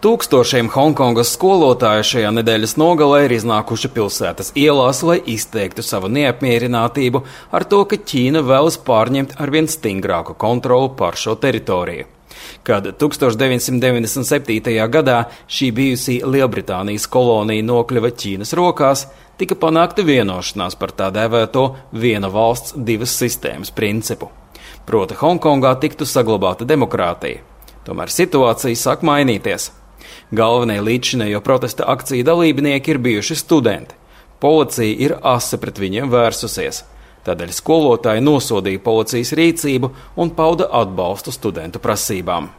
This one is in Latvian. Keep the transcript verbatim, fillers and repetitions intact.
Tūkstošiem Hongkongas skolotāju šajā nedēļas nogalē ir iznākuši pilsētas ielās, lai izteiktu savu neapmierinātību ar to, ka Ķīna vēlas pārņemt arvien stingrāku kontroli pār šo teritoriju. Kad tūkstoš deviņsimt deviņdesmit septītajā gadā šī bijusī Lielbritānijas kolonija nokļuva Ķīnas rokās, tika panākta vienošanās par tā dēvēto viena valsts divas sistēmas principu. Proti Hongkongā tiktu saglabāta demokrātija. Tomēr situācija sāk mainīties. Galvenie līdzšinējo protesta akciju dalībnieki ir bijuši studenti. Policija ir asi pret viņiem vērsusies. Tādēļ skolotāji nosodīja policijas rīcību un pauda atbalstu studentu prasībām.